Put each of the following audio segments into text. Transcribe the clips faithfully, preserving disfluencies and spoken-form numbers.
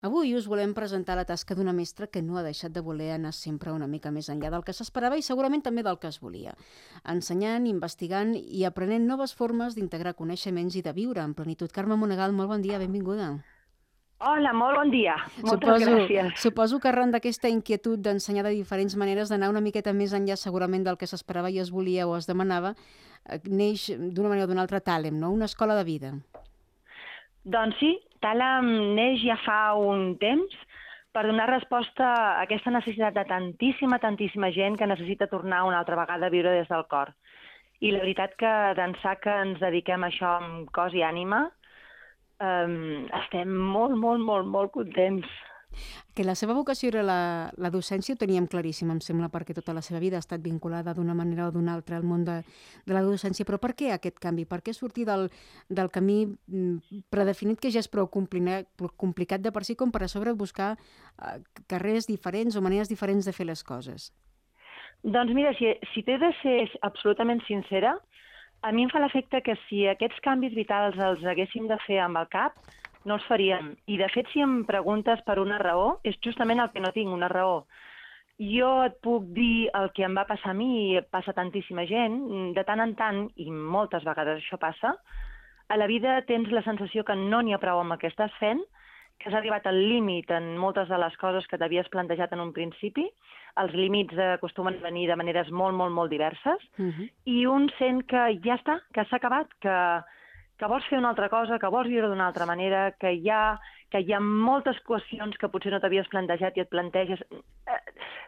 Avui us volem presentar la tasca d'una mestra que no ha deixat de voler anar sempre una mica més enllà del que s'esperava i segurament també del que es volia. Ensenyant, investigant i aprenent noves formes d'integrar coneixements i de viure en plenitud. Carme Monegal, molt bon dia, benvinguda. Hola, molt bon dia. Moltes Suposo, gràcies. suposo que arran d'aquesta inquietud d'ensenyar de diferents maneres, d'anar una miqueta més enllà segurament del que s'esperava i es volia o es demanava, eh, neix d'una manera o d'una altra Tàlem, no? Una escola de vida. Doncs sí, Tàlem neix ja fa un temps per donar resposta a aquesta necessitat de tantíssima, tantíssima gent que necessita tornar una altra vegada a viure des del cor. I la veritat que d'ençà que ens dediquem a això amb cos i ànima, eh, estem molt, molt, molt, molt contents. Que la seva vocació era la, la docència ho teníem claríssim, em sembla, perquè tota la seva vida ha estat vinculada d'una manera o d'una altra al món de, de la docència. Però per què aquest canvi? Per què sortir del, del camí mm, predefinit que ja és prou complicat, complicat de per si com per a sobre buscar eh, carrers diferents o maneres diferents de fer les coses? Doncs mira, si, si t'he de ser absolutament sincera, a mi em fa l'efecte que si aquests canvis vitals els haguéssim de fer amb el cap, no els faríem. I de fet, si em preguntes per una raó, és justament el que no tinc, una raó. Jo et puc dir el que em va passar a mi i passa a tantíssima gent, de tant en tant, i moltes vegades això passa, a la vida tens la sensació que no n'hi ha prou amb el que estàs fent, que has arribat al límit en moltes de les coses que t'havies plantejat en un principi. Els límits acostumen a venir de maneres molt, molt, molt diverses, Uh -huh. i un sent que ja està, que s'ha acabat, que, que vols fer una altra cosa, que vols viure d'una altra manera, que hi ha, que hi ha moltes qüestions que potser no t'havies plantejat i et planteges. Eh,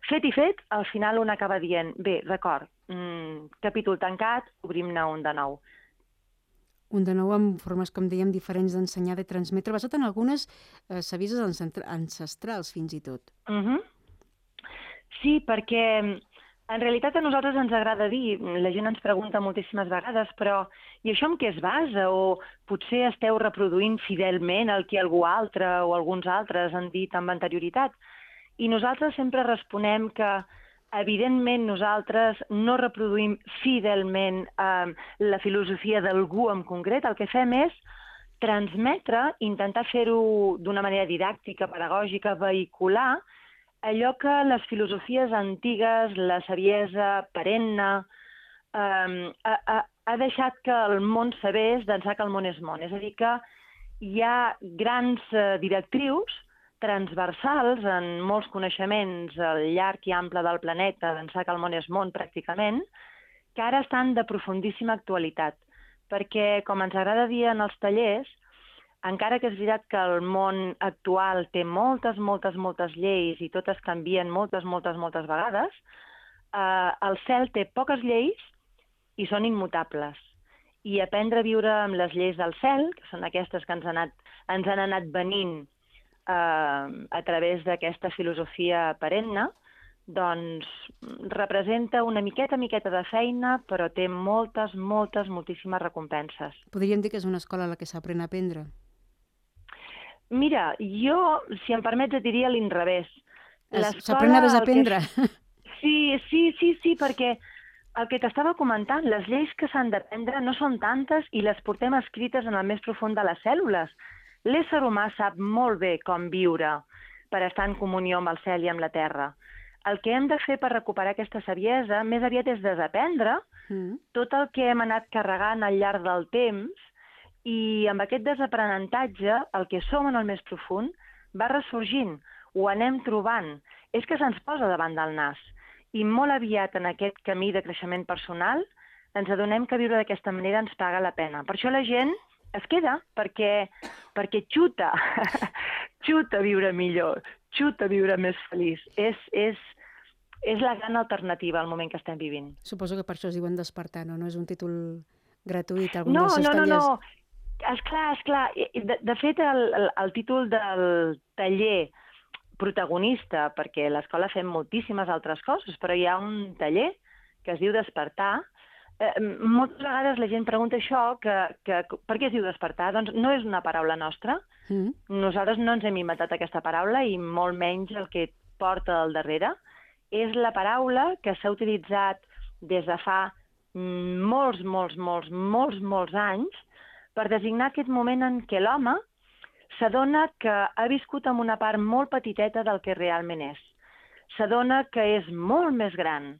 fet i fet, al final un acaba dient, bé, d'acord, mm, capítol tancat, obrim-ne un de nou. Un de nou amb formes, com dèiem, diferents d'ensenyar, de transmetre, basat en algunes eh, savises ancestrals, fins i tot. Uh -huh. Sí, perquè en realitat a nosaltres ens agrada dir, la gent ens pregunta moltíssimes vegades, però i això en què es basa? O potser esteu reproduint fidelment el que algú altre o alguns altres han dit amb anterioritat? I nosaltres sempre responem que, evidentment, nosaltres no reproduïm fidelment eh, la filosofia d'algú en concret. El que fem és transmetre, intentar fer-ho d'una manera didàctica, pedagògica, vehicular, allò que les filosofies antigues, la saviesa perenne, eh, ha, ha deixat que el món sabés d'ençà que el món és món. És a dir, que hi ha grans eh, directrius transversals en molts coneixements al llarg i ample del planeta, d'ençà que el món és món pràcticament, que ara estan de profundíssima actualitat. Perquè, com ens agrada dir en els tallers, encara que és veritat que el món actual té moltes, moltes, moltes lleis i totes canvien moltes, moltes, moltes vegades, eh, el cel té poques lleis i són immutables. I aprendre a viure amb les lleis del cel, que són aquestes que ens han anat, ens han anat venint eh, a través d'aquesta filosofia perenne, doncs representa una miqueta, miqueta de feina, però té moltes, moltes, moltíssimes recompenses. Podríem dir que és una escola a la que s'aprèn a aprendre. Mira, jo, si em permets, et diria a l'inrevés. S'aprèn a desaprendre. Que... Sí, sí, sí, sí, perquè el que t'estava comentant, les lleis que s'han d'aprendre no són tantes i les portem escrites en el més profund de les cèl·lules. L'ésser humà sap molt bé com viure per estar en comunió amb el cel i amb la terra. El que hem de fer per recuperar aquesta saviesa més aviat és desaprendre mm. tot el que hem anat carregant al llarg del temps, i amb aquest desaprenentatge el que som en el més profund va ressorgint, ho anem trobant. És que se'ns posa davant del nas. I molt aviat en aquest camí de creixement personal ens adonem que viure d'aquesta manera ens paga la pena. Per això la gent es queda, perquè, perquè xuta, xuta viure millor, xuta viure més feliç. És, és, és la gran alternativa al moment que estem vivint. Suposo que per això es diuen despertar, no? No és un títol gratuït, algun no, dels seus no, tallers. No, no, no. Esclar, esclar. De, de fet, el, el, el títol del taller protagonista, perquè a l'escola fem moltíssimes altres coses, però hi ha un taller que es diu Despertar. Eh, moltes vegades la gent pregunta això, que, que per què es diu Despertar? Doncs no és una paraula nostra. Mm. Nosaltres no ens hem inventat aquesta paraula i molt menys el que porta al darrere. És la paraula que s'ha utilitzat des de fa molts, molts, molts, molts, molts anys per designar aquest moment en què l'home s'adona que ha viscut amb una part molt petiteta del que realment és. S'adona que és molt més gran,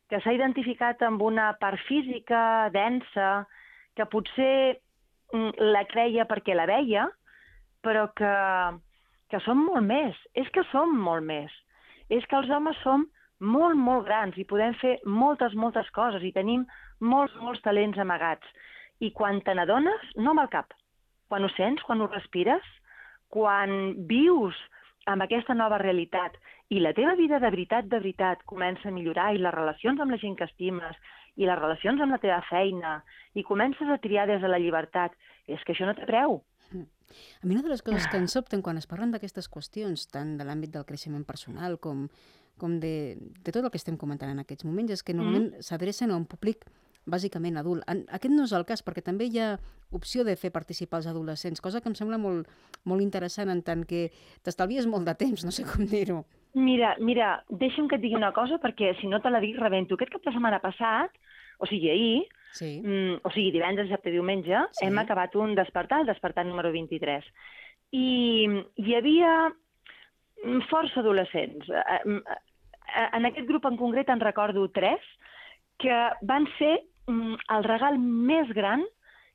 que s'ha identificat amb una part física, densa, que potser la creia perquè la veia, però que, que som molt més. És que som molt més. És que els homes som molt, molt grans i podem fer moltes, moltes coses i tenim molts, molts talents amagats. I quan te n'adones, no amb el cap. Quan ho sents, quan ho respires, quan vius amb aquesta nova realitat i la teva vida de veritat, de veritat, comença a millorar i les relacions amb la gent que estimes i les relacions amb la teva feina i comences a triar des de la llibertat, és que això no té preu. A mi una de les coses que ens sobten quan es parlen d'aquestes qüestions, tant de l'àmbit del creixement personal com, com de, de tot el que estem comentant en aquests moments, és que normalment mm. s'adrecen a un públic bàsicament adult. Aquest no és el cas, perquè també hi ha opció de fer participar els adolescents, cosa que em sembla molt, molt interessant en tant que t'estalvies molt de temps, no sé com dir-ho. Mira, mira, deixa'm que et digui una cosa, perquè si no te la dic rebento. Aquest cap de setmana passat, o sigui ahir, sí. mm, o sigui divendres, dissabte, diumenge, sí. hem acabat un despertar, el despertar número vint-i-tres. I hi havia força adolescents. En aquest grup en concret en recordo tres, que van ser el regal més gran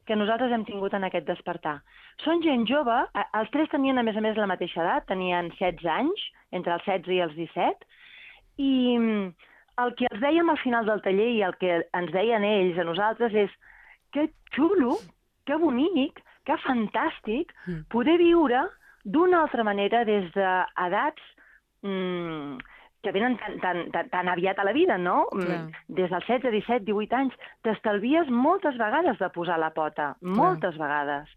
que nosaltres hem tingut en aquest despertar. Són gent jove, els tres tenien a més a més la mateixa edat, tenien setze anys, entre els setze i els disset, i el que els dèiem al final del taller i el que ens deien ells a nosaltres és que xulo, que bonic, que fantàstic poder viure d'una altra manera des d'edats mmm, que venen tan, tan, tan, tan aviat a la vida, no? Clar. Des dels setze, disset, divuit anys, t'estalvies moltes vegades de posar la pota, moltes Clar. vegades.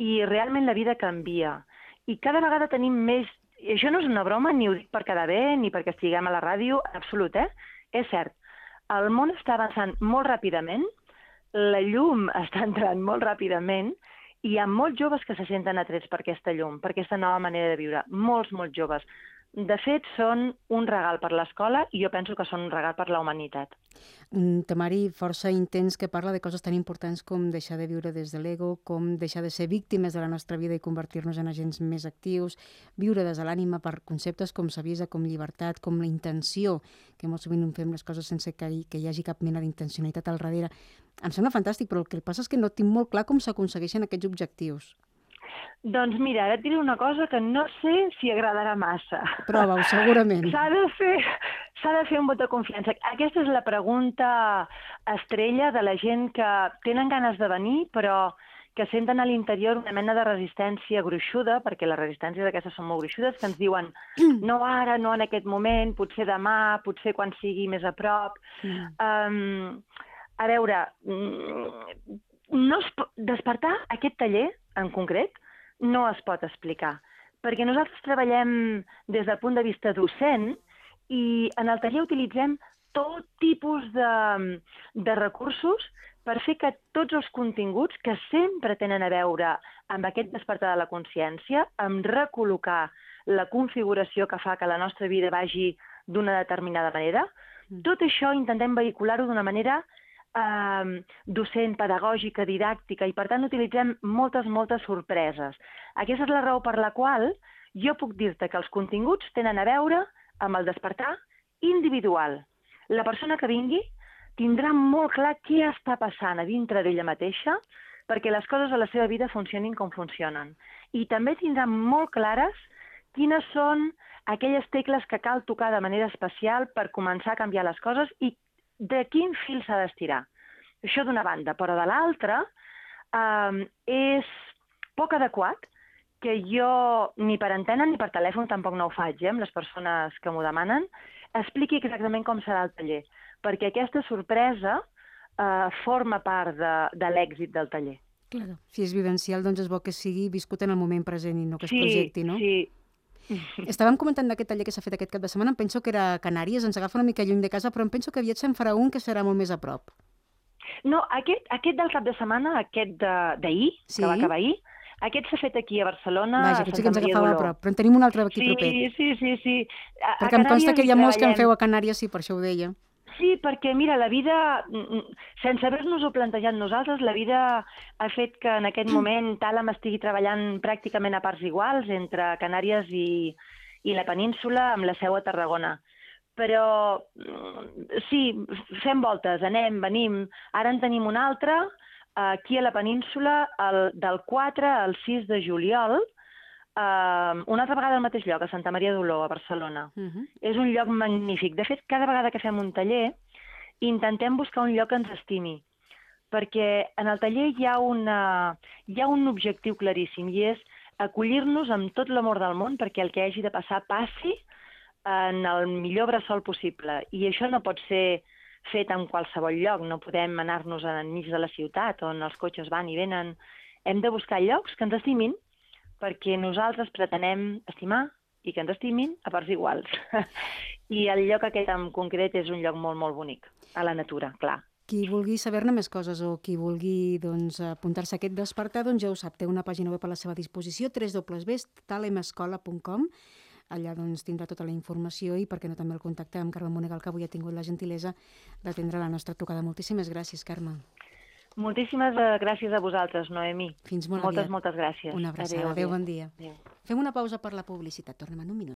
I realment la vida canvia. I cada vegada tenim més... I això no és una broma, ni ho dic per quedar bé, ni perquè estiguem a la ràdio, en absolut, eh? És cert, el món està avançant molt ràpidament, la llum està entrant molt ràpidament, i hi ha molts joves que se senten atrets per aquesta llum, per aquesta nova manera de viure. Molts, molts joves. De fet, són un regal per l'escola i jo penso que són un regal per la humanitat. Un temari força intens que parla de coses tan importants com deixar de viure des de l'ego, com deixar de ser víctimes de la nostra vida i convertir-nos en agents més actius, viure des de l'ànima per conceptes com saviesa, com llibertat, com la intenció, que molt sovint fem les coses sense que hi, que hi hagi cap mena d'intencionalitat al darrere. Em sembla fantàstic, però el que passa és que no tinc molt clar com s'aconsegueixen aquests objectius. Doncs mira, ara et diré una cosa que no sé si agradarà massa. Prova-ho, segurament. S'ha de fer, s'ha de fer un vot de confiança. Aquesta és la pregunta estrella de la gent que tenen ganes de venir, però que senten a l'interior una mena de resistència gruixuda, perquè les resistències d'aquestes són molt gruixudes, que ens diuen no ara, no en aquest moment, potser demà, potser quan sigui més a prop. Mm. Um, a veure, no es pot... despertar aquest taller, en concret, no es pot explicar, perquè nosaltres treballem des del punt de vista docent i en el taller utilitzem tot tipus de, de recursos per fer que tots els continguts que sempre tenen a veure amb aquest despertar de la consciència, amb recol·locar la configuració que fa que la nostra vida vagi d'una determinada manera, tot això intentem vehicular-ho d'una manera Uh, docent, pedagògica, didàctica, i per tant utilitzem moltes, moltes sorpreses. Aquesta és la raó per la qual jo puc dir-te que els continguts tenen a veure amb el despertar individual. La persona que vingui tindrà molt clar què està passant a dintre d'ella mateixa perquè les coses a la seva vida funcionin com funcionen. I també tindrà molt clares quines són aquelles tecles que cal tocar de manera especial per començar a canviar les coses i de quin fil s'ha d'estirar. Això d'una banda, però de l'altra eh, és poc adequat que jo, ni per antena ni per telèfon, tampoc no ho faig, eh, amb les persones que m'ho demanen, expliqui exactament com serà el taller, perquè aquesta sorpresa eh, forma part de, de l'èxit del taller. Claro. Si és vivencial, doncs és bo que sigui viscut en el moment present i no que es sí, projecti, no? Sí, Estàvem comentant d'aquest taller que s'ha fet aquest cap de setmana, em penso que era a Canàries, ens agafa una mica lluny de casa, però em penso que aviat se'n farà un que serà molt més a prop. No, aquest, aquest del cap de setmana, aquest d'ahir, sí? Que va acabar ahir, aquest s'ha fet aquí a Barcelona. Vaja, aquest sí que ens agafava a prop, però en tenim un altre aquí sí, proper. Sí, sí, sí. A, Perquè a em consta que hi ha molts treballem... que en feu a Canàries, sí, per això ho deia. Sí, perquè, mira, la vida, sense haver-nos-ho plantejat nosaltres, la vida ha fet que en aquest moment Tàlam estigui treballant pràcticament a parts iguals entre Canàries i, i la península, amb la seu a Tarragona. Però sí, fem voltes, anem, venim. Ara en tenim una altra, aquí a la península, el, del quatre al sis de juliol, Uh, una altra vegada al mateix lloc, a Santa Maria d'Oló, a Barcelona. Uh -huh. És un lloc magnífic. De fet, cada vegada que fem un taller, intentem buscar un lloc que ens estimi, perquè en el taller hi ha, una, hi ha un objectiu claríssim, i és acollir-nos amb tot l'amor del món perquè el que hagi de passar passi en el millor bressol possible. I això no pot ser fet en qualsevol lloc, no podem anar-nos enmig de la ciutat on els cotxes van i venen. Hem de buscar llocs que ens estimin, perquè nosaltres pretenem estimar i que ens estimin a parts iguals. I el lloc aquest en concret és un lloc molt, molt bonic, a la natura, clar. Qui vulgui saber-ne més coses o qui vulgui doncs, apuntar-se a aquest despertar, doncs ja ho sap, té una pàgina web a la seva disposició, w w w punt talemescola punt com. Allà doncs, tindrà tota la informació i, per què no, també el contacte amb Carme Monegal, que avui ha tingut la gentilesa d'atendre la nostra trucada. Moltíssimes gràcies, Carme. Moltíssimes gràcies a vosaltres, Noemí. Fins molt moltes, aviat. Moltes gràcies. Una abraçada. Adéu, adéu, bon dia. Adéu. Fem una pausa per la publicitat. Tornem en un minut.